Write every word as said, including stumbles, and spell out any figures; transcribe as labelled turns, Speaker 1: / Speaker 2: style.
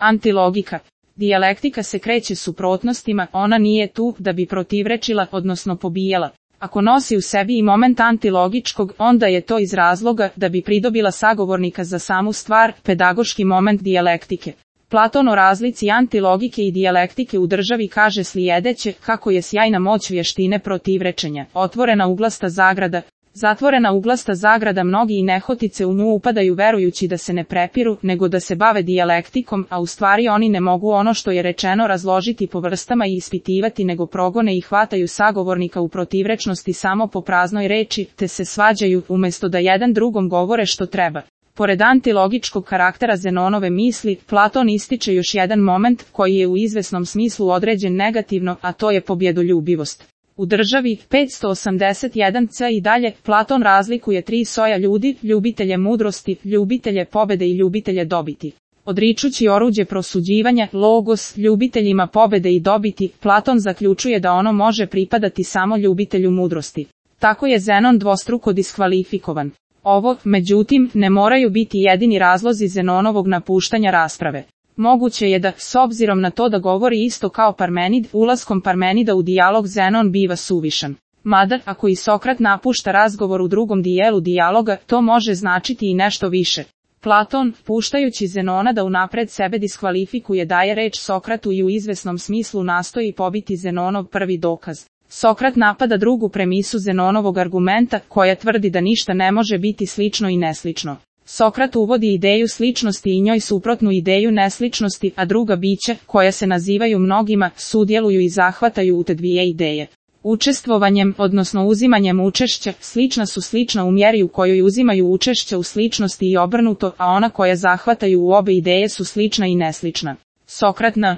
Speaker 1: Antilogika. Dijalektika se kreće suprotnostima, ona nije tu da bi protivrečila, odnosno pobijala. Ako nosi u sebi i moment antilogičkog, onda je to iz razloga da bi pridobila sagovornika za samu stvar, pedagoški moment dijalektike. Platon o razlici antilogike i dijalektike u državi kaže slijedeće, kako je sjajna moć vještine protivrečenja, otvorena uglasta zagrada, zatvorena uglasta zagrada, mnogi i nehotice u nju upadaju verujući da se ne prepiru, nego da se bave dijalektikom, a u stvari oni ne mogu ono što je rečeno razložiti po vrstama i ispitivati, nego progone i hvataju sagovornika u protivrečnosti samo po praznoj reči, te se svađaju, umjesto da jedan drugom govore što treba. Pored antilogičkog karaktera Zenonove misli, Platon ističe još jedan moment koji je u izvesnom smislu određen negativno, a to je pobjedoljubivost. U državi petsto osamdeset jedan c i dalje, Platon razlikuje tri soja ljudi, ljubitelje mudrosti, ljubitelje pobede i ljubitelje dobiti. Odričući oruđe prosuđivanja, logos, ljubiteljima pobede i dobiti, Platon zaključuje da ono može pripadati samo ljubitelju mudrosti. Tako je Zenon dvostruko diskvalifikovan. Ovo, međutim, ne moraju biti jedini razlozi Zenonovog napuštanja rasprave. Moguće je da, s obzirom na to da govori isto kao Parmenid, ulaskom Parmenida u dijalog Zenon biva suvišan. Mada, ako i Sokrat napušta razgovor u drugom dijelu dijaloga, to može značiti i nešto više. Platon, puštajući Zenona da unapred sebe diskvalifikuje, daje reč Sokratu i u izvesnom smislu nastoji pobiti Zenonov prvi dokaz. Sokrat napada drugu premisu Zenonovog argumenta, koja tvrdi da ništa ne može biti slično i neslično. Sokrat uvodi ideju sličnosti i njoj suprotnu ideju nesličnosti, a druga bića, koja se nazivaju mnogima, sudjeluju i zahvataju u te dvije ideje. Učestvovanjem, odnosno uzimanjem učešća, slična su slična u mjeri u kojoj uzimaju učešća u sličnosti i obrnuto, a ona koja zahvataju u obe ideje su slična i neslična. Sokrat na